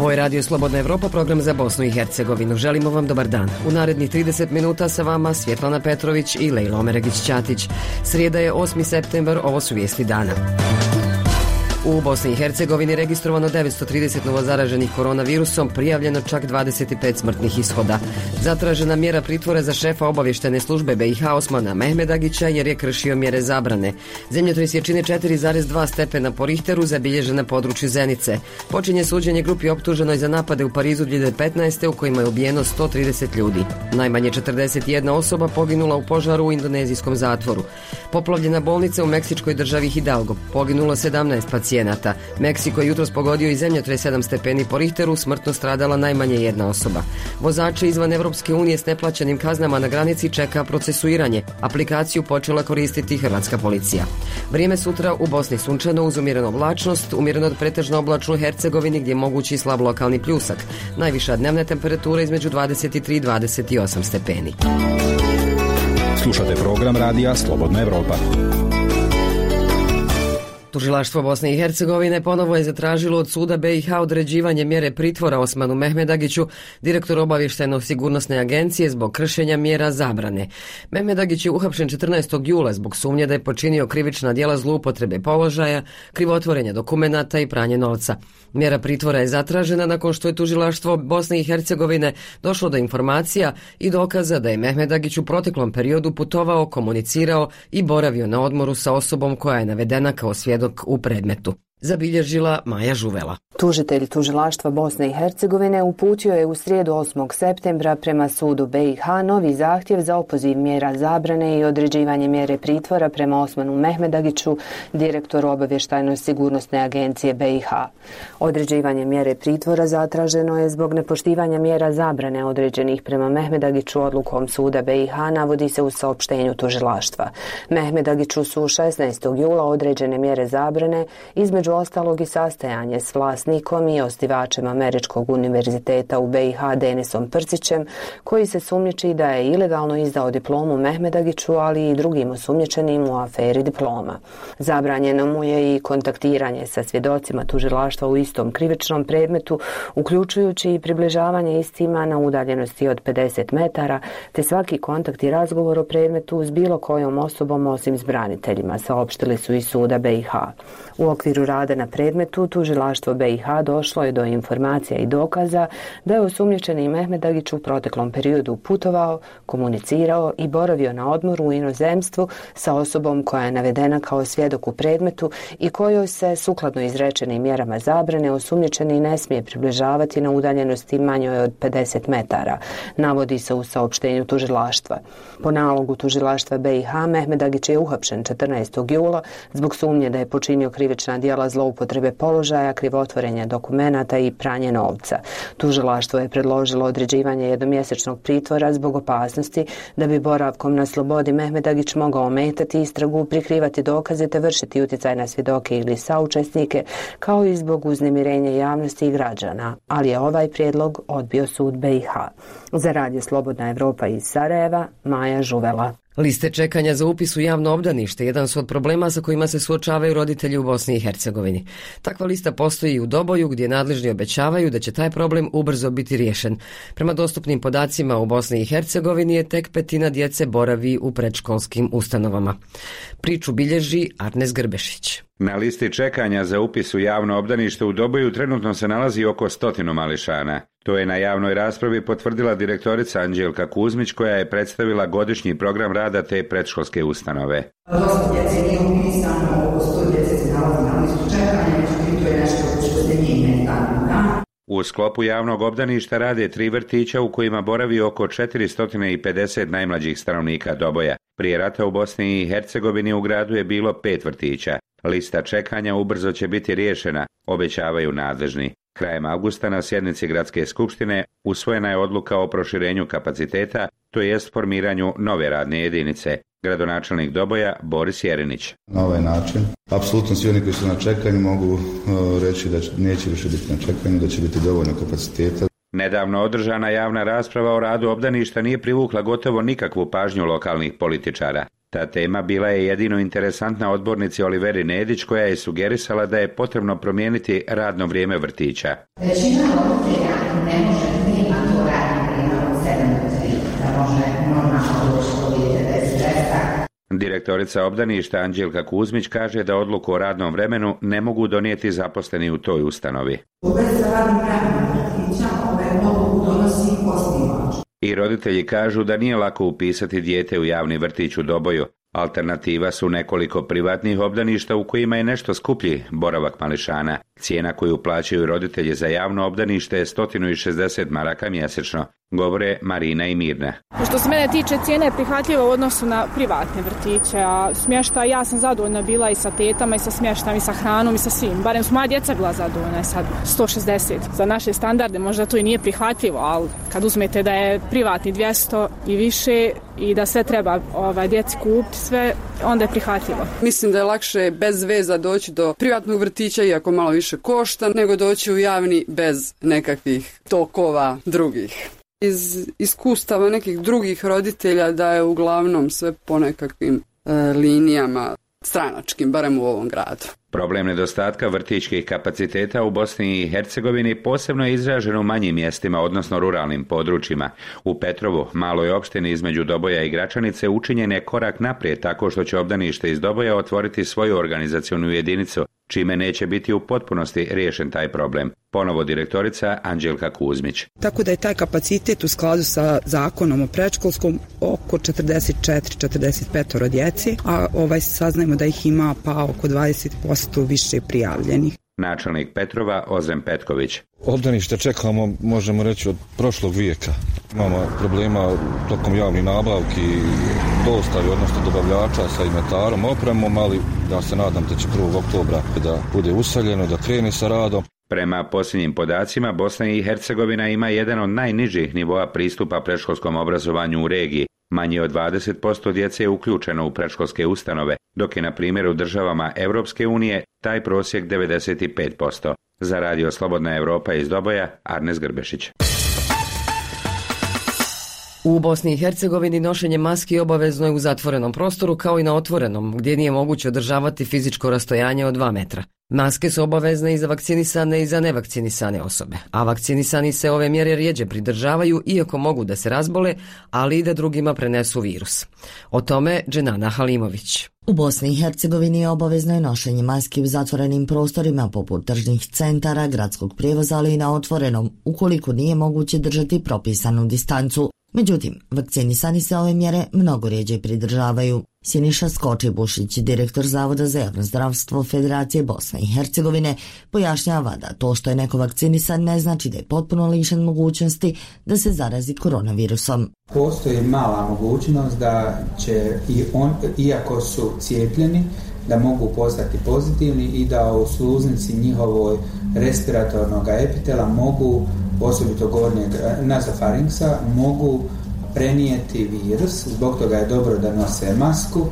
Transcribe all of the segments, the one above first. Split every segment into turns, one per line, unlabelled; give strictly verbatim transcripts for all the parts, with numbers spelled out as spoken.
Ovo je Radio Slobodna Evropa, program za Bosnu i Hercegovinu. Želimo vam dobar dan. U narednih trideset minuta sa vama Svjetlana Petrović i Lejla Omeregić-Ćatić. Srijeda je osmi septembar, ovo su vijesti dana. U Bosni i Hercegovini registrovano devetsto trideset novozaraženih koronavirusom, prijavljeno čak dvadeset pet smrtnih ishoda. Zatražena mjera pritvora za šefa obavještajne službe B i H Osmana Mehmedagića jer je kršio mjere zabrane. Zemljotres jačine četiri zarez dva stepena po Richteru zabilježen na području Zenice. Počinje suđenje grupi optuženoj za napade u Parizu dvije hiljade petnaeste. u kojima je ubijeno sto trideset ljudi. Najmanje četrdeset jedna osoba poginula u požaru u indonezijskom zatvoru. Poplavljena bolnica u meksičkoj državi Hidalgo. Poginulo sedamnaest pacijenata. Meksiko je jutros pogodio i zemljotres sedam stepeni po Richteru, smrtno stradala najmanje jedna osoba. Vozače izvan Evropske unije s neplaćenim kaznama na granici čeka procesuiranje. Aplikaciju počela koristiti hrvatska policija. Vrijeme sutra u Bosni sunčano uz umjerenu oblačnost, umjereno od pretežno oblačno u Hercegovini gdje je mogući slab lokalni pljusak. Najviša dnevna temperatura između dvadeset tri i dvadeset osam stepeni.
Slušate program radija Slobodna Evropa.
Tužilaštvo Bosne i Hercegovine ponovo je zatražilo od suda B i H određivanje mjere pritvora Osmanu Mehmedagiću, direktoru obavještajno-sigurnosne agencije, zbog kršenja mjera zabrane. Mehmedagić je uhapšen četrnaestog jula zbog sumnje da je počinio krivična djela zloupotrebe položaja, krivotvorenja dokumenata i pranje novca. Mjera pritvora je zatražena nakon što je tužilaštvo Bosne i Hercegovine došlo do informacija i dokaza da je Mehmedagić u proteklom periodu putovao, komunicirao i boravio na odmoru sa osobom koja je navedena kao svjedok u predmetu. Zabilježila Maja Žuvela.
Tužitelj tužilaštva Bosne i Hercegovine uputio je u srijedu osmog septembra prema sudu B i H novi zahtjev za opoziv mjera zabrane i određivanje mjere pritvora prema Osmanu Mehmedagiću, direktoru obavještajno-sigurnosne agencije B i H. Određivanje mjere pritvora zatraženo je zbog nepoštivanja mjera zabrane određenih prema Mehmedagiću odlukom suda B i H, navodi se u saopštenju tužilaštva. Mehmedagiću su šesnaestog jula određene mjere zabrane, između ostalog i sastajanje s vlasnikom i osnivačem Američkog univerziteta u B i H Denisom Prcićem, koji se sumnjiči da je ilegalno izdao diplomu Mehmedagiću, ali i drugim osumnjičenim u aferi diploma. Zabranjeno mu je i kontaktiranje sa svjedocima tužilaštva u istom krivičnom predmetu, uključujući i približavanje istima na udaljenosti od pedeset metara, te svaki kontakt i razgovor o predmetu s bilo kojom osobom osim s braniteljima, saopštili su iz suda B i H. U okviru rada na predmetu, tužilaštvo B i H došlo je do informacija i dokaza da je osumnjičeni Mehmedagić u proteklom periodu putovao, komunicirao i boravio na odmoru u inozemstvu sa osobom koja je navedena kao svjedok u predmetu i kojoj se, sukladno izrečenim mjerama zabrane, osumnjičeni ne smije približavati na udaljenosti manjoj od pedeset metara, navodi se u saopštenju tužilaštva. Po nalogu tužilaštva B i H, Mehmedagić je uhapšen četrnaestog jula zbog sumnje da je počinio krivična djela zloupotrebe položaja, krivotvorenja dokumenata i pranje novca. Tužilaštvo je predložilo određivanje jednomjesečnog pritvora zbog opasnosti da bi boravkom na slobodi Mehmedagić mogao ometati istragu, prikrivati dokaze te vršiti utjecaj na svjedoke ili saučesnike, kao i zbog uznemirenja javnosti i građana, ali je ovaj prijedlog odbio sud B i H. Za Radio Slobodna Evropa iz Sarajeva, Maja Žuvela.
Liste čekanja za upis u javno obdanište jedan su od problema sa kojima se suočavaju roditelji u Bosni i Hercegovini. Takva lista postoji i u Doboju, gdje nadležni obećavaju da će taj problem ubrzo biti riješen. Prema dostupnim podacima u Bosni i Hercegovini je tek petina djece boravi u predškolskim ustanovama. Priču bilježi Arnes Grbešić.
Na listi čekanja za upis u javno obdanište u Doboju trenutno se nalazi oko stotinu mališana. To je na javnoj raspravi potvrdila direktorica Anđelka Kuzmić, koja je predstavila godišnji program rada te predškolske ustanove.
Dosta djece nije upisano, oko sto djece se nalazi na listu čekanja, međutim to je nešto što se mijenja dan dan.
U sklopu javnog obdaništa rade tri vrtića u kojima boravi oko četiristo pedeset najmlađih stanovnika Doboja. Prije rata u Bosni i Hercegovini u gradu je bilo pet vrtića. Lista čekanja ubrzo će biti riješena, obećavaju nadležni. Krajem avgusta na sjednici Gradske skupštine usvojena je odluka o proširenju kapaciteta, to jest formiranju nove radne jedinice. Gradonačelnik Doboja Boris Jerinić.
Na ovaj način, apsolutno svi oni koji su na čekanju mogu uh, reći da neće više biti na čekanju, da će biti dovoljno kapaciteta.
Nedavno održana javna rasprava o radu obdaništa nije privukla gotovo nikakvu pažnju lokalnih političara. Ta tema bila je jedino interesantna odbornici Oliveri Nedić, koja je sugerisala da je potrebno promijeniti radno vrijeme vrtića.
Većina roditelja ne može nema to radno vrijeme od sedam do tri, da može normalno doći do dijete bez stresa.
Direktorica obdaništa Anđelka Kuzmić kaže da odluku o radnom vremenu ne mogu donijeti zaposleni u toj ustanovi.
U vezi sa radnim vremenom vrtića ove odluku donosi osnivač.
I roditelji kažu da nije lako upisati dijete u javni vrtić u Doboju. Alternativa su nekoliko privatnih obdaništa u kojima je nešto skuplji boravak mališana. Cijena koju plaćaju roditelji za javno obdanište je sto šezdeset maraka mjesečno, govore Marina i Mirna.
Što se mene tiče, cijena je prihvatljiva u odnosu na privatne vrtiće, a smještaj, ja sam zadovoljna bila i sa tetama i sa smještajem i sa hranom i sa svim. Barem su moja djeca bila zadovoljna, sad sto šezdeset. Za naše standarde možda to i nije prihvatljivo, ali kad uzmete da je privatni dvjesto i više i da sve treba ovaj, djeci kupiti, sve, onda je prihvatljivo.
Mislim da je lakše bez veza doći do privatnog vrtića, iako malo više košta, nego doći u javni bez nekakvih tokova drugih. Iz iskustava nekih drugih roditelja da je uglavnom sve po nekakvim e, linijama stranačkim, barem u ovom gradu.
Problem nedostatka vrtićkih kapaciteta u Bosni i Hercegovini posebno je izražen u manjim mjestima, odnosno ruralnim područjima. U Petrovu, maloj opštini između Doboja i Gračanice, učinjen je korak naprijed tako što će obdanište iz Doboja otvoriti svoju organizacionu jedinicu, čime neće biti u potpunosti riješen taj problem. Ponovo direktorica Anđelka Kuzmić.
Tako da je taj kapacitet u skladu sa zakonom o predškolskom oko četrdeset četiri četrdeset pet djeci, a ovaj saznajemo da ih ima pa oko dvadeset posto više prijavljenih.
Načelnik Petrova Ozren Petković.
Obdanište čekamo, možemo reći, od prošlog vijeka. Imamo problema tokom javnih nabavki, dostavi, odnosno dobavljača sa inventarom, opremom, ali ja se nadam da će prvog oktobra da bude useljeno, da krene sa radom.
Prema posljednjim podacima, Bosna i Hercegovina ima jedan od najnižih nivoa pristupa predškolskom obrazovanju u regiji. Manje od dvadeset posto djece je uključeno u predškolske ustanove, dok je na primjer u državama Europske unije taj prosjek devedeset pet posto. Za Radio Slobodna Europa iz Doboja, Arnes Grbešić.
U Bosni i Hercegovini nošenje maski obavezno je u zatvorenom prostoru kao i na otvorenom, gdje nije moguće održavati fizičko rastojanje od dva metra. Maske su obavezne i za vakcinisane i za nevakcinisane osobe, a vakcinisani se ove mjere rjeđe pridržavaju iako mogu da se razbole, ali i da drugima prenesu virus. O tome Dženana Halimović.
U Bosni i Hercegovini je obavezno je nošenje maski u zatvorenim prostorima poput tržnih centara, gradskog prijevoza, ali i na otvorenom, ukoliko nije moguće držati propisanu distancu. Međutim, vakcinisani se ove mjere mnogo rjeđe pridržavaju. Siniša Skočibušić, direktor Zavoda za javno zdravstvo Federacije Bosne i Hercegovine, pojašnjava da to što je neko vakcinisan ne znači da je potpuno lišen mogućnosti da se zarazi koronavirusom.
Postoji mala mogućnost da će i on, iako su cijepljeni, da mogu postati pozitivni i da u sluznici njihovoj respiratornog epitela mogu, osobito gornjeg nazofarinksa, mogu prenijeti virus. Zbog toga je dobro da nose masku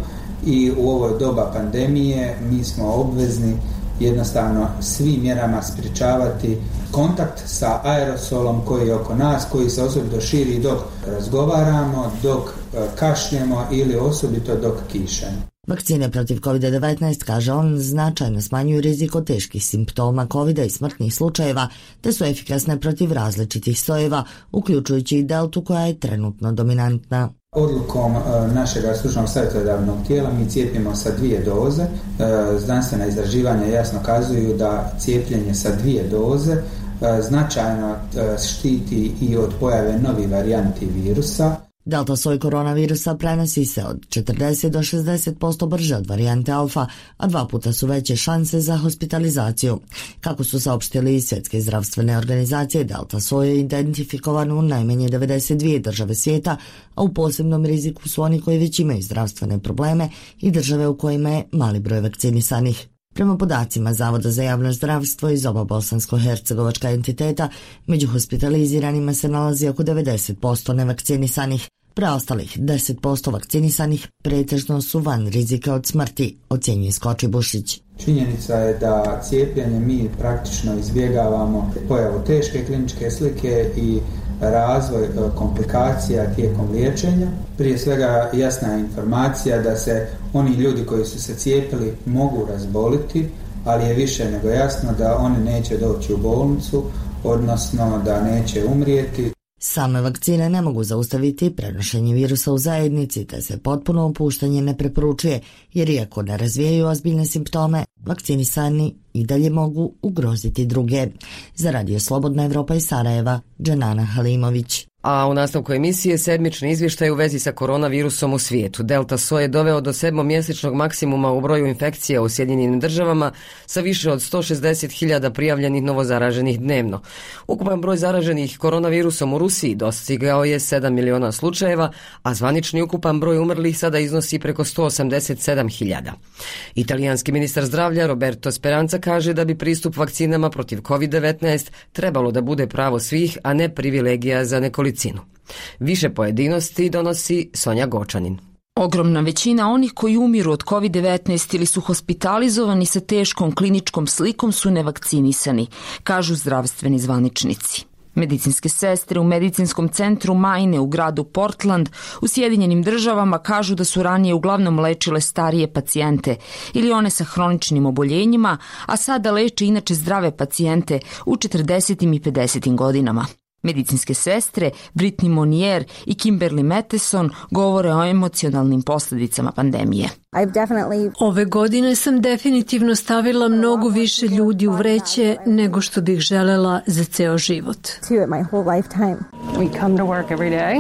i u ovoj doba pandemije mi smo obvezni jednostavno svim mjerama sprječavati kontakt sa aerosolom koji je oko nas, koji se osobito širi dok razgovaramo, dok kašljemo ili osobito dok kišemo.
Vakcine protiv kovid devetnaest, kaže on, značajno smanjuju rizik od teških simptoma kovida i smrtnih slučajeva, te su efikasne protiv različitih sojeva, uključujući i deltu koja je trenutno dominantna.
Odlukom našeg stručnog savjetodavnog tijela mi cijepimo sa dvije doze. Znanstvena istraživanja jasno kazuju da cijepljenje sa dvije doze značajno štiti i od pojave novih varijanti virusa.
Delta soj koronavirusa prenosi se od četrdeset do šezdeset posto brže od varijante alfa, a dva puta su veće šanse za hospitalizaciju. Kako su saopštili iz Svjetske zdravstvene organizacije, delta soj je identifikovan u najmanje devedeset dvije države svijeta, a u posebnom riziku su oni koji već imaju zdravstvene probleme i države u kojima je mali broj vakcinisanih. Prema podacima Zavoda za javno zdravstvo iz oba bosansko-hercegovačka entiteta, među hospitaliziranima se nalazi oko devedeset posto nevakcinisanih. Preostalih deset posto vakcinisanih pretežno su van rizika od smrti, ocjenjuje Skočibušić.
Činjenica je da cijepljenje mi praktično izbjegavamo pojavu teške kliničke slike i razvoj komplikacija tijekom liječenja. Prije svega jasna informacija da se oni ljudi koji su se cijepili mogu razboliti, ali je više nego jasno da oni neće doći u bolnicu, odnosno da neće umrijeti.
Same vakcine ne mogu zaustaviti prenošenje virusa u zajednici, te se potpuno opuštanje ne preporučuje, jer iako ne razvijaju ozbiljne simptome, vakcinisani i dalje mogu ugroziti druge. Za Radio Slobodna Evropa iz Sarajeva, Dženana Halimović.
A u nastavku emisije sedmični izvještaj u vezi sa koronavirusom u svijetu. Delta soj je doveo do sedmomjesečnog maksimuma u broju infekcija u Sjedinjenim državama sa više od sto šezdeset hiljada prijavljenih novozaraženih dnevno. Ukupan broj zaraženih koronavirusom u Rusiji dostigao je sedam miliona slučajeva, a zvanični ukupan broj umrlih sada iznosi preko sto osamdeset sedam hiljada. Italijanski ministar zdravlja Roberto Speranza kaže da bi pristup vakcinama protiv kovid devetnaest trebalo da bude pravo svih, a ne privilegija za nekolicinu. Više pojedinosti donosi Sonja Gočanin.
Ogromna većina onih koji umiru od kovid devetnaest ili su hospitalizovani sa teškom kliničkom slikom su nevakcinisani, kažu zdravstveni zvaničnici. Medicinske sestre u medicinskom centru Maine u gradu Portland u Sjedinjenim državama kažu da su ranije uglavnom lečile starije pacijente ili one sa hroničnim oboljenjima, a sada leče inače zdrave pacijente u četrdesetim i pedesetim godinama. Medicinske sestre Brittany Monier i Kimberly Matheson govore o emocionalnim posljedicama pandemije.
Ove godine sam definitivno stavila mnogo više ljudi u vreće nego što bih želela za ceo život.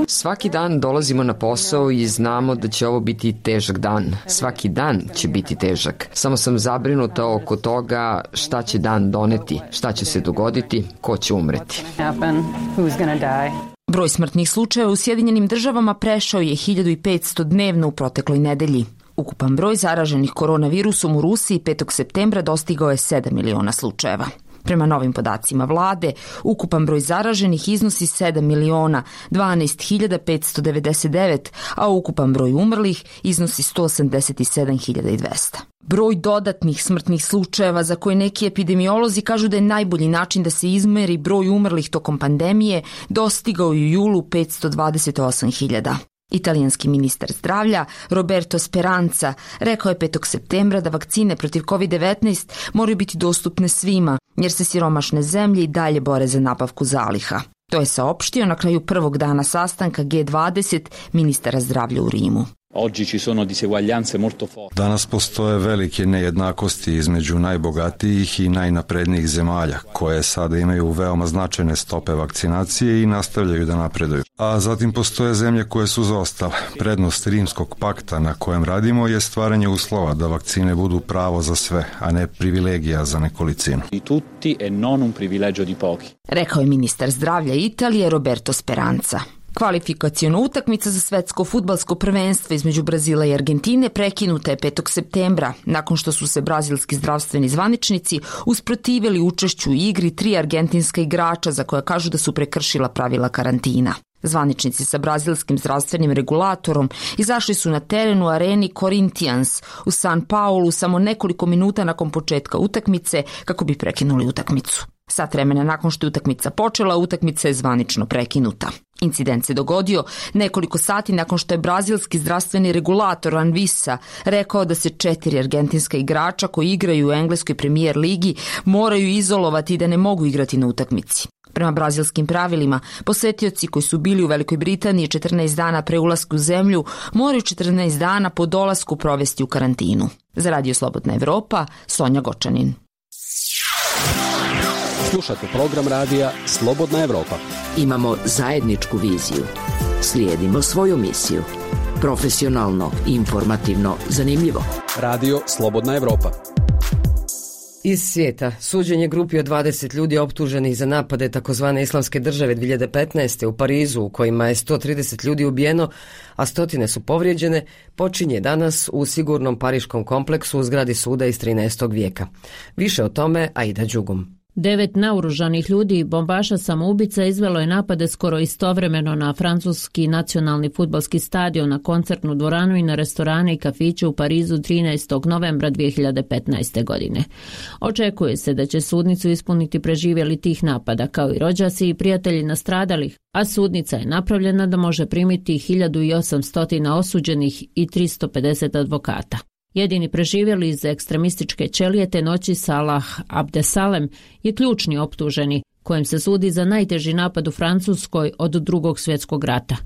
Svaki dan dolazimo na posao i znamo da će ovo biti težak dan. Svaki dan će biti težak. Samo sam zabrinuta oko toga šta će dan doneti, šta će se dogoditi, ko će umreti.
Broj smrtnih slučajeva u Sjedinjenim državama prešao je hiljadu petsto dnevno u protekloj nedelji. Ukupan broj zaraženih koronavirusom u Rusiji petog septembra dostigao je sedam miliona slučajeva. Prema novim podacima vlade, ukupan broj zaraženih iznosi sedam miliona dvanaest hiljada petsto devedeset devet, a ukupan broj umrlih iznosi sto osamdeset sedam hiljada dvesta. Broj dodatnih smrtnih slučajeva za koje neki epidemiolozi kažu da je najbolji način da se izmeri broj umrlih tokom pandemije dostigao u julu petsto dvadeset osam hiljada. Italijanski ministar zdravlja Roberto Speranza rekao je petog septembra da vakcine protiv kovid devetnaest moraju biti dostupne svima, jer se siromašne zemlje i dalje bore za nabavku zaliha. To je saopštio na kraju prvog dana sastanka G dvadeset ministara zdravlja u Rimu.
Danas postoje velike nejednakosti između najbogatijih i najnaprednijih zemalja, koje sada imaju veoma značajne stope vakcinacije i nastavljaju da napreduju. A zatim postoje zemlje koje su zaostale. Prednost Rimskog pakta na kojem radimo je stvaranje uslova da vakcine budu pravo za sve, a ne privilegija za nekolicinu.
Rekao je ministar zdravlja Italije Roberto Speranza. Kvalifikaciona utakmica za svetsko fudbalsko prvenstvo između Brazila i Argentine prekinuta je petog septembra, nakon što su se brazilski zdravstveni zvaničnici usprotivili učešću u igri tri argentinska igrača za koja kažu da su prekršila pravila karantina. Zvaničnici sa brazilskim zdravstvenim regulatorom izašli su na teren u areni Corinthians u San Paulu samo nekoliko minuta nakon početka utakmice kako bi prekinuli utakmicu. Sat vremena nakon što je utakmica počela, utakmica je zvanično prekinuta. Incident se dogodio nekoliko sati nakon što je brazilski zdravstveni regulator Anvisa rekao da se četiri argentinska igrača koji igraju u engleskoj premijer ligi moraju izolovati i da ne mogu igrati na utakmici. Prema brazilskim pravilima, posetioci koji su bili u Velikoj Britaniji četrnaest dana pre ulaska u zemlju moraju četrnaest dana po dolasku provesti u karantinu. Za Radio Slobodna Evropa, Sonja Gočanin.
Slušate program radija Slobodna Evropa.
Imamo zajedničku viziju. Slijedimo svoju misiju. Profesionalno, informativno, zanimljivo.
Radio Slobodna Evropa.
Iz svijeta, suđenje grupi od dvadeset ljudi optuženih za napade takozvane islamske države dvije hiljade petnaeste. u Parizu, u kojima je sto trideset ljudi ubijeno, a stotine su povrijeđene, počinje danas u sigurnom pariškom kompleksu u zgradi suda iz trinaestog vijeka. Više o tome Aida Đugum.
Devet naoružanih ljudi i bombaša samoubica izvelo je napade skoro istovremeno na francuski nacionalni fudbalski stadion, na koncertnu dvoranu i na restorane i kafiće u Parizu trinaestog novembra dvije hiljade petnaeste. godine. Očekuje se da će sudnicu ispuniti preživjeli tih napada, kao i rođaci i prijatelji nastradalih, a sudnica je napravljena da može primiti hiljadu osamsto osuđenih i tristo pedeset advokata. Jedini preživjeli iz ekstremističke ćelije te noći Salah Abdesalem je ključni optuženi, kojem se sudi za najteži napad u Francuskoj od drugog svjetskog rata.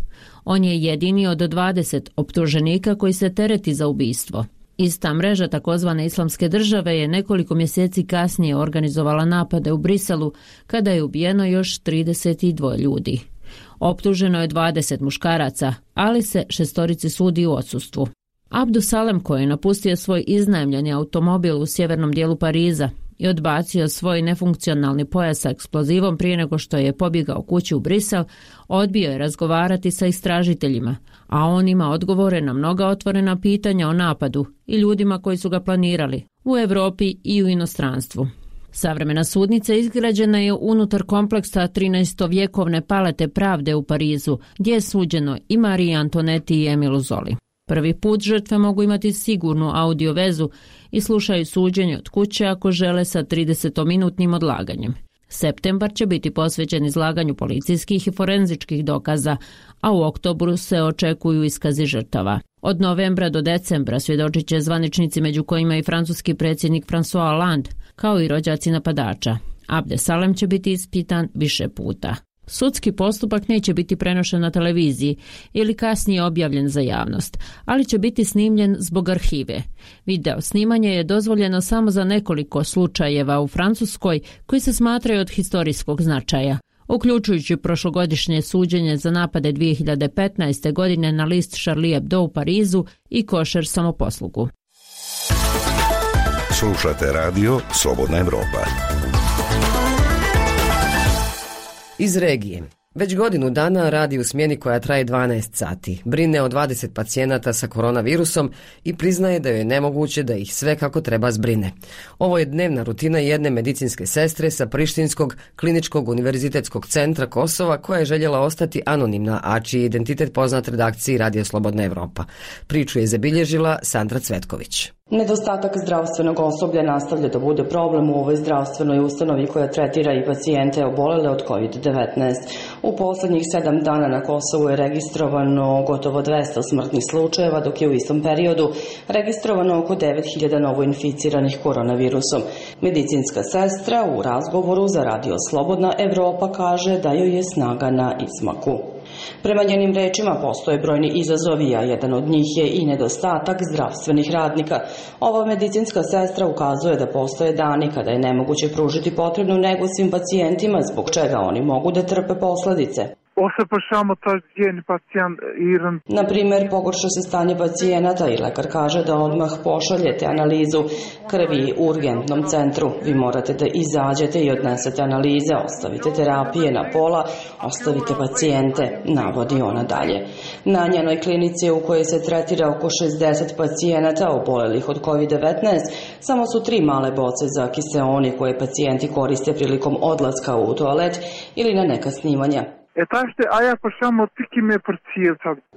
On je jedini od dvadeset optuženika koji se tereti za ubistvo. Ista mreža takozvane islamske države je nekoliko mjeseci kasnije organizovala napade u Briselu, kada je ubijeno još trideset dva ljudi. Optuženo je dvadeset muškaraca, ali se šestorici sudi u odsustvu. Abdu Salem, koji je napustio svoj iznajmljeni automobil u sjevernom dijelu Pariza i odbacio svoj nefunkcionalni pojas sa eksplozivom prije nego što je pobjegao kući u Brisel, odbio je razgovarati sa istražiteljima, a on ima odgovore na mnoga otvorena pitanja o napadu i ljudima koji su ga planirali u Europi i u inostranstvu. Savremena sudnica izgrađena je unutar kompleksa trinaestovjekovne palate pravde u Parizu, gdje je suđeno i Mariji Antoneti i Emilu Zoli. Prvi put žrtve mogu imati sigurnu audio vezu i slušaju suđenje od kuće ako žele sa tridesetminutnim odlaganjem. Septembar će biti posvećen izlaganju policijskih i forenzičkih dokaza, a u oktobru se očekuju iskazi žrtava. Od novembra do decembra svjedočit će zvaničnici, među kojima i francuski predsjednik François Hollande, kao i rođaci napadača. Abdesalem će biti ispitan više puta. Sudski postupak neće biti prenošen na televiziji ili kasnije objavljen za javnost, ali će biti snimljen zbog arhive. Video snimanje je dozvoljeno samo za nekoliko slučajeva u Francuskoj koji se smatraju od historijskog značaja, uključujući prošlogodišnje suđenje za napade dvije hiljade petnaeste. godine na list Charlie Hebdo u Parizu i košer samoposlugu.
Slušate radio Slobodna Evropa.
Iz regije. Već godinu dana radi u smjeni koja traje dvanaest sati. Brine o dvadeset pacijenata sa koronavirusom i priznaje da joj je nemoguće da ih sve kako treba zbrine. Ovo je dnevna rutina jedne medicinske sestre sa Prištinskog kliničkog univerzitetskog centra Kosova, koja je željela ostati anonimna, a čiji je identitet poznat redakciji Radio Slobodna Evropa. Priču je zabilježila Sandra Cvetković.
Nedostatak zdravstvenog osoblja nastavlja da bude problem u ovoj zdravstvenoj ustanovi koja tretira i pacijente obolele od kovid devetnaest. U posljednjih sedam dana na Kosovu je registrovano gotovo dvesta smrtnih slučajeva, dok je u istom periodu registrovano oko devet hiljada novoinficiranih koronavirusom. Medicinska sestra u razgovoru za Radio Slobodna Evropa kaže da joj je snaga na izmaku. Prema njenim rečima postoje brojni izazovi, a jedan od njih je i nedostatak zdravstvenih radnika. Ova medicinska sestra ukazuje da postoje dani kada je nemoguće pružiti potrebnu negu svim pacijentima, zbog čega oni mogu da trpe posljedice. Na primjer, pogorša se stanje pacijenata i lekar kaže da odmah pošaljete analizu krvi u urgentnom centru. Vi morate da izađete i odnesete analize, ostavite terapije na pola, ostavite pacijente, navodi ona dalje. Na njenoj klinici u kojoj se tretira oko šezdeset pacijenata obolelih od kovid devetnaest, samo su tri male boce za kiseoni koje pacijenti koriste prilikom odlaska u toalet ili na neka snimanja.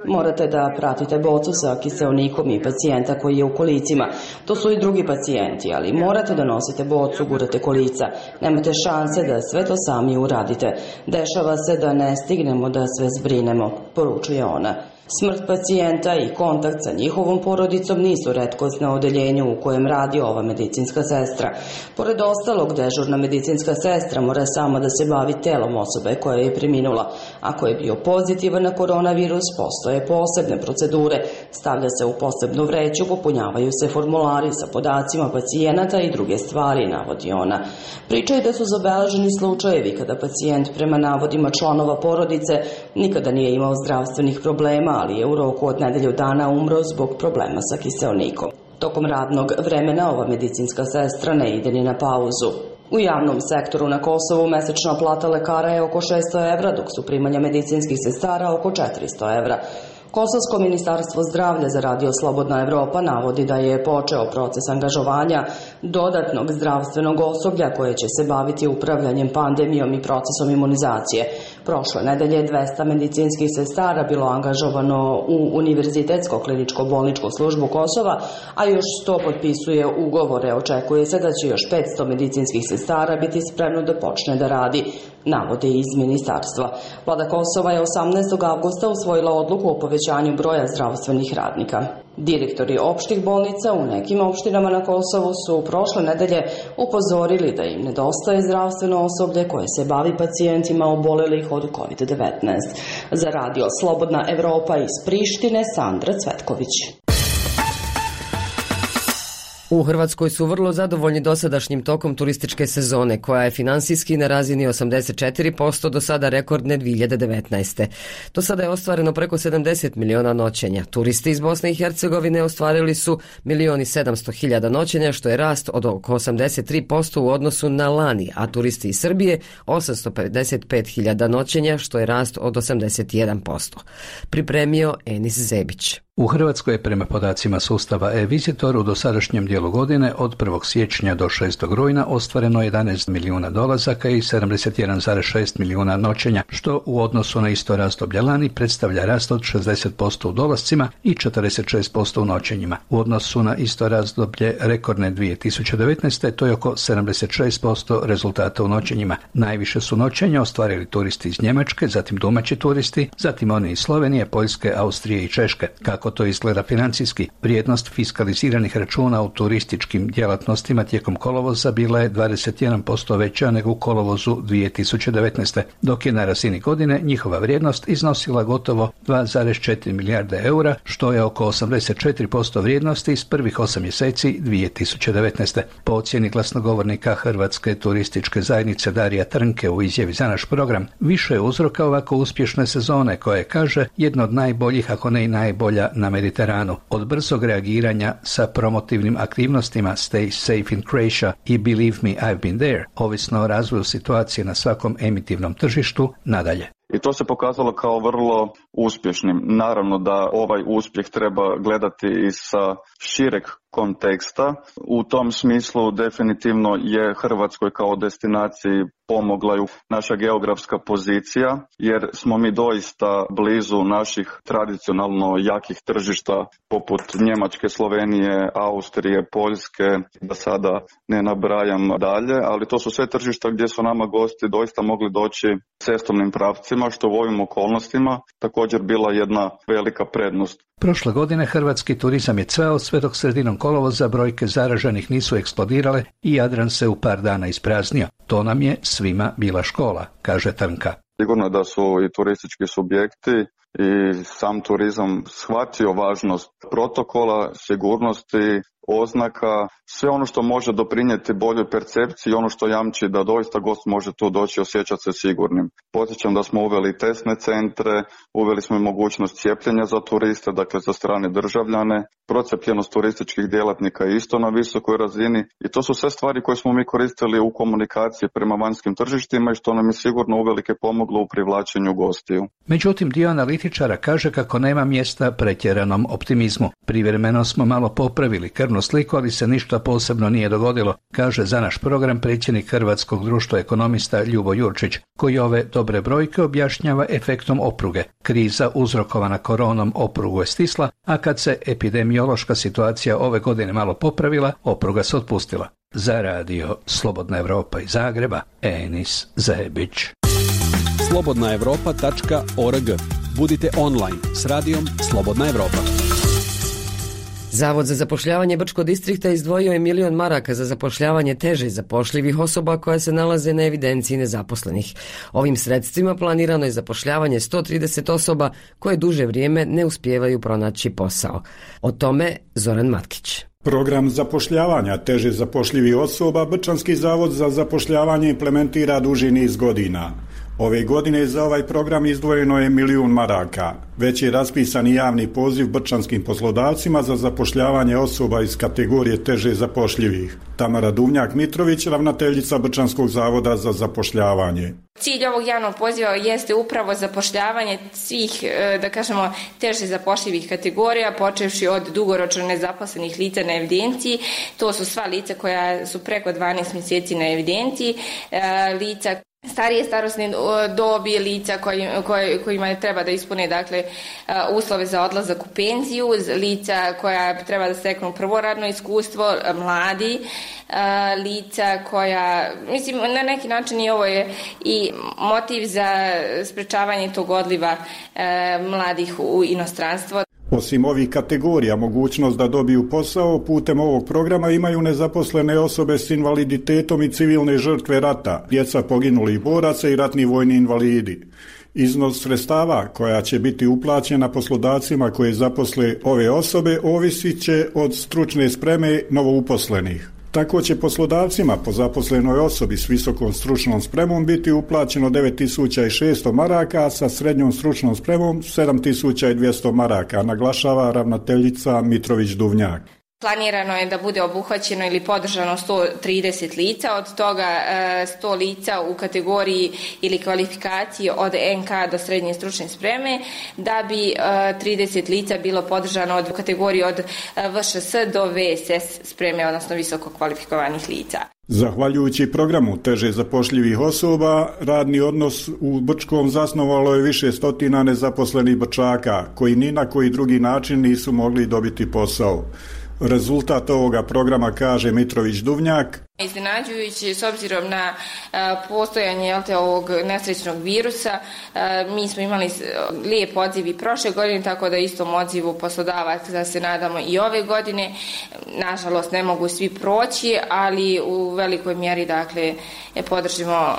Morate da pratite bocu sa kiseonikom i pacijenta koji je u kolicima. To su i drugi pacijenti, ali morate da nosite bocu, gurate kolica. Nemate šanse da sve to sami uradite. Dešava se da ne stignemo da sve zbrinemo, poručuje ona. Smrt pacijenta i kontakt sa njihovom porodicom nisu retkost na odeljenju u kojem radi ova medicinska sestra. Pored ostalog, dežurna medicinska sestra mora sama da se bavi telom osobe koja je preminula. Ako je bio pozitivan na koronavirus, postoje posebne procedure. Stavlja se u posebnu vreću, popunjavaju se formulari sa podacima pacijenata i druge stvari, navodi ona. Pričaju da su zabeleženi slučajevi kada pacijent prema navodima članova porodice nikada nije imao zdravstvenih problema, ali je u roku od nedelju dana umro zbog problema sa kiseonikom. Tokom radnog vremena ova medicinska sestra ne ide ni na pauzu. U javnom sektoru na Kosovu mesečna plata lekara je oko šesto evra, dok su primanja medicinskih sestara oko četiristo evra. Kosovsko ministarstvo zdravlja za Radio Slobodna Evropa navodi da je počeo proces angažovanja dodatnog zdravstvenog osoblja koje će se baviti upravljanjem pandemijom i procesom imunizacije. Prošle nedelje dvesta medicinskih sestara bilo angažovano u Univerzitetsko kliničko bolničku službu Kosova, a još sto potpisuje ugovore. Očekuje se da će još petsto medicinskih sestara biti spremno da počne da radi, navode iz ministarstva. Vlada Kosova je osamnaestog avgusta usvojila odluku o povećanju broja zdravstvenih radnika. Direktori opštih bolnica u nekim opštinama na Kosovu su prošle nedelje upozorili da im nedostaje zdravstveno osoblje koje se bavi pacijentima obolelih od kovid devetnaest. Za Radio Slobodna Evropa iz Prištine, Sandra Cvetković.
U Hrvatskoj su vrlo zadovoljni dosadašnjim tokom turističke sezone, koja je finansijski na razini osamdeset četiri posto do sada rekordne dvije hiljade devetnaeste. Do sada je ostvareno preko sedamdeset miliona noćenja. Turisti iz Bosne i Hercegovine ostvarili su milion i sedamsto hiljada noćenja, što je rast od oko osamdeset tri posto u odnosu na lani, a turisti iz Srbije osamsto pedeset pet hiljada noćenja, što je rast od osamdeset jedan posto. Pripremio Enis Zebić.
U Hrvatskoj je prema podacima sustava e-Visitor u dosadašnjem dijelu godine od prvog siječnja do šestog rujna ostvareno jedanaest milijuna dolazaka i sedamdeset jedan zarez šest milijuna noćenja, što u odnosu na isto razdoblje lani predstavlja rast od šezdeset posto u dolascima i četrdeset šest posto u noćenjima. U odnosu na isto razdoblje rekordne dvije tisuće devetnaeste. to je oko sedamdeset šest posto rezultata u noćenjima. Najviše su noćenja ostvarili turisti iz Njemačke, zatim domaći turisti, zatim oni iz Slovenije, Poljske, Austrije i Češke. Kako to izgleda financijski? Vrijednost fiskaliziranih računa u turističkim djelatnostima tijekom kolovoza bila je dvadeset jedan posto veća nego u kolovozu dvije tisuće devetnaeste. dok je na razini godine njihova vrijednost iznosila gotovo dva zarez četiri milijarde eura, što je oko osamdeset četiri posto vrijednosti iz prvih osam mjeseci dvije tisuće devetnaeste. Po ocjeni glasnogovornika Hrvatske turističke zajednice Darija Trnke u izjavi za naš program, više je uzroka ovako uspješne sezone, koja je, kaže, jedna od najboljih, ako ne i najbolja na Mediteranu. Od brzog reagiranja sa promotivnim aktivnostima Stay Safe in Croatia i Believe Me I've Been There, ovisno o razvoju situacije na svakom emitivnom tržištu, nadalje.
I to se pokazalo kao vrlo uspješnim. Naravno da ovaj uspjeh treba gledati i sa šireg konteksta. U tom smislu definitivno je Hrvatskoj kao destinaciji pomogla ju naša geografska pozicija, jer smo mi doista blizu naših tradicionalno jakih tržišta poput Njemačke, Slovenije, Austrije, Poljske, da sada ne nabrajam dalje, ali to su sve tržišta gdje su nama gosti doista mogli doći cestovnim pravcima, što u ovim okolnostima također bila jedna velika prednost.
Prošle godine hrvatski turizam je cveo, sve dok sredinom kolovoza brojke zaraženih nisu eksplodirale i Jadran se u par dana ispraznio. To nam je svima bila škola, kaže Trnka.
Sigurno da su i turistički subjekti i sam turizam shvatio važnost protokola, sigurnosti, oznaka, sve ono što može doprinijeti boljoj percepciji i ono što jamči da doista gost može tu doći i osjećati se sigurnim. Podsjećam da smo uveli testne centre, uveli smo i mogućnost cijepljenja za turiste, dakle za strane državljane, procijepljenost turističkih djelatnika je isto na visokoj razini i to su sve stvari koje smo mi koristili u komunikaciji prema vanjskim tržištima i što nam je sigurno uvelike pomoglo u privlačenju gostiju.
Međutim, dio analitičara kaže kako nema mjesta pretjeranom optimizmu. Privremeno smo malo popravili krvnu sliku, ali se ništa posebno nije dogodilo, kaže za naš program predsjednik Hrvatskog društva ekonomista Ljubo Jurčić, koji ove dobre brojke objašnjava efektom opruge. Kriza uzrokovana koronom oprugu je stisla, a kad se epidemiološka situacija ove godine malo popravila, opruga se otpustila. Za radio Slobodna Evropa iz Zagreba, Enis Zebić.
slobodna evropa tačka org. Budite online s radijom Slobodna Evropa.
Zavod za zapošljavanje Brčkog distrikta izdvojio je milion maraka za zapošljavanje teže zapošljivih osoba koja se nalaze na evidenciji nezaposlenih. Ovim sredstvima planirano je zapošljavanje sto trideset osoba koje duže vrijeme ne uspijevaju pronaći posao. O tome Zoran Matkić.
Program zapošljavanja teže zapošljivih osoba Brčanski zavod za zapošljavanje implementira duži niz godina. Ove godine za ovaj program izdvojeno je milijun maraka. Već je raspisan i javni poziv brčanskim poslodavcima za zapošljavanje osoba iz kategorije teže zapošljivih. Tamara Duvnjak-Mitrović, ravnateljica Brčanskog zavoda za zapošljavanje.
Cilj ovog javnog poziva jeste upravo zapošljavanje svih, da kažemo, teže zapošljivih kategorija, počevši od dugoročno nezaposlenih lica na evidenciji. To su sva lica koja su preko dvanaest mjeseci na evidenciji, lica starije starosne dobi, lica koji, koji, kojima treba da ispune dakle, uslove za odlazak u penziju, lica koja treba da steknu prvo radno iskustvo, mladi, lica koja, mislim, na neki način i ovo je i motiv za sprečavanje tog odliva mladih u inostranstvo.
Osim ovih kategorija, mogućnost da dobiju posao putem ovog programa imaju nezaposlene osobe s invaliditetom i civilne žrtve rata, djeca poginulih boraca i ratni vojni invalidi. Iznos sredstava koja će biti uplaćena poslodavcima koje zaposle ove osobe ovisit će od stručne spreme novouposlenih. Tako će poslodavcima po zaposlenoj osobi s visokom stručnom spremom biti uplaćeno devet tisuća šesto maraka, a sa srednjom stručnom spremom sedam tisuća dvjesto maraka, naglašava ravnateljica Mitrović-Duvnjak.
Planirano je da bude obuhvaćeno ili podržano sto trideset lica, od toga sto lica u kategoriji ili kvalifikaciji od en ka do srednje stručne spreme, da bi trideset lica bilo podržano od kategoriji od ve še es do ve es es spreme, odnosno visoko kvalifikovanih lica.
Zahvaljujući programu teže zapošljivih osoba, radni odnos u Brčkom zasnovalo je više stotina nezaposlenih Brčaka, koji ni na koji drugi način nisu mogli dobiti posao. Rezultat ovoga programa, kaže Mitrović-Duvnjak,
iznenađujući s obzirom na postojanje jelte, ovog nesrećnog virusa. Mi smo imali lijep odziv i prošle godine, tako da istom odzivu poslodavaca da se nadamo i ove godine. Nažalost ne mogu svi proći, ali u velikoj mjeri dakle podržimo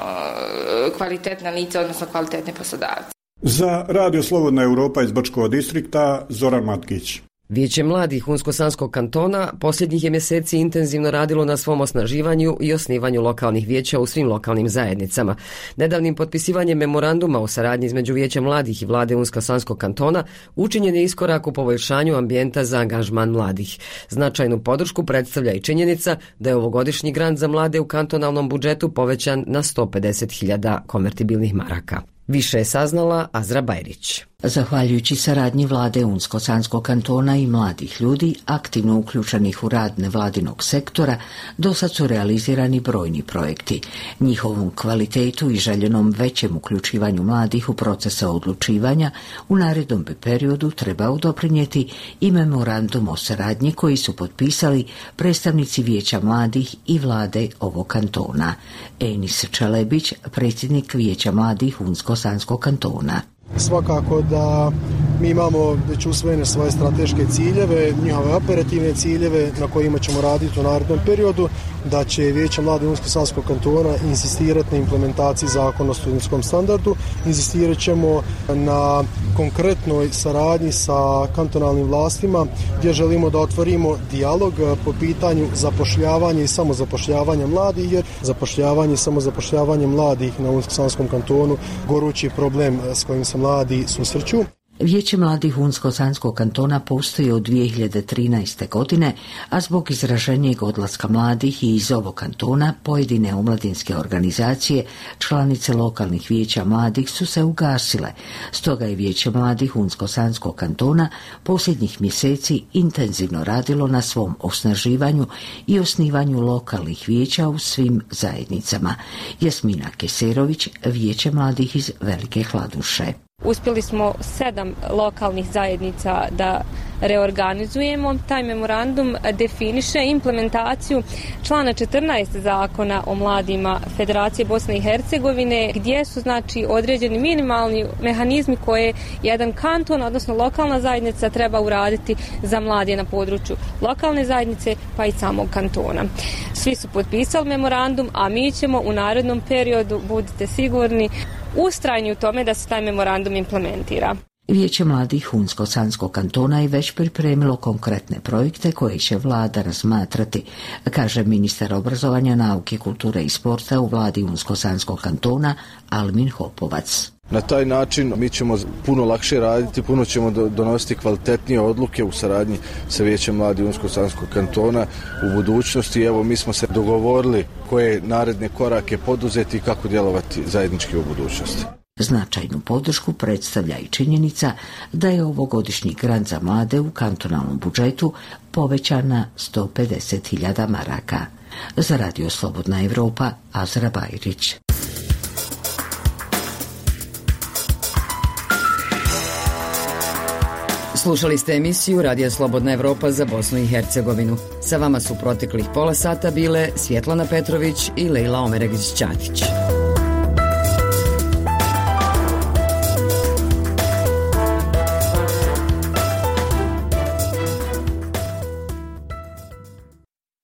kvalitetna lica, odnosno kvalitetne poslodavce.
Za Radio Slobodna Europa iz Brčkog distrikta, Zoran Matkić.
Vijeće mladih Unsko-Sanskog kantona posljednjih je mjeseci intenzivno radilo na svom osnaživanju i osnivanju lokalnih vijeća u svim lokalnim zajednicama. Nedavnim potpisivanjem memoranduma o saradnji između Vijeća mladih i vlade Unsko-Sanskog kantona učinjen je iskorak u poboljšanju ambijenta za angažman mladih. Značajnu podršku predstavlja i činjenica da je ovogodišnji grant za mlade u kantonalnom budžetu povećan na sto pedeset hiljada konvertibilnih maraka. Više je saznala Azra Bajrić.
Zahvaljujući saradnji vlade Unsko-Sanskog kantona i mladih ljudi, aktivno uključenih u rad nevladinog sektora, do sad su realizirani brojni projekti. Njihovom kvalitetu i željenom većem uključivanju mladih u procese odlučivanja u narednom bi periodu trebao doprinijeti i memorandum o saradnji koji su potpisali predstavnici Vijeća mladih i vlade ovog kantona. Enis Čelebić, predsjednik Vijeća mladih Unsko-Sanskog kantona.
Svakako da mi imamo već usvojene svoje strateške ciljeve, njihove operativne ciljeve na kojima ćemo raditi u narednom periodu, da će Vijeće mladih Unsko-Sanskog kantona insistirati na implementaciji zakona o studentskom standardu, insistirat ćemo na konkretnoj saradnji sa kantonalnim vlastima gdje želimo da otvorimo dijalog po pitanju zapošljavanja i samozapošljavanja mladih, jer zapošljavanje i samozapošljavanje mladih na Unsko-Sanskom kantonu gorući problem s kojim se mladi susreću.
Vijeće mladih Unsko-Sanskog kantona postoji od dvije hiljade trinaeste. godine, a zbog izraženijeg odlaska mladih i iz ovog kantona pojedine omladinske organizacije, članice lokalnih vijeća mladih su se ugasile. Stoga je Vijeće mladih Unsko-Sanskog kantona posljednjih mjeseci intenzivno radilo na svom osnaživanju i osnivanju lokalnih vijeća u svim zajednicama. Jasmina Keserović, Vijeće mladih iz Velike Hladuše.
Uspjeli smo sedam lokalnih zajednica da reorganizujemo. Taj memorandum definiše implementaciju člana četrnaest zakona o mladima Federacije Bosne i Hercegovine, gdje su znači određeni minimalni mehanizmi koje jedan kanton, odnosno lokalna zajednica, treba uraditi za mlade na području lokalne zajednice pa i samog kantona. Svi su potpisali memorandum, a mi ćemo u narednom periodu, budite sigurni, ustrajni u tome da se taj memorandum implementira.
Vijeće mladih Unsko-Sanskog kantona je već pripremilo konkretne projekte koje će vlada razmatrati, kaže ministar obrazovanja, nauke, kulture i sporta u vladi Unsko-Sanskog kantona Almin Hopovac.
Na taj način mi ćemo puno lakše raditi, puno ćemo donositi kvalitetnije odluke u saradnji sa Vijećem mladih Unsko-Sanskog kantona u budućnosti. Evo, mi smo se dogovorili koje naredne korake poduzeti i kako djelovati zajednički u budućnosti.
Značajnu podršku predstavlja i činjenica da je ovogodišnji grant za mlade u kantonalnom budžetu povećan na sto pedeset hiljada maraka. Za Radio Slobodna Evropa, Azra Bajrić.
Slušali ste emisiju Radija Slobodna Evropa za Bosnu i Hercegovinu. Sa vama su proteklih pola sata bile Svjetlana Petrović i Lejla Omeregić-Ćatić.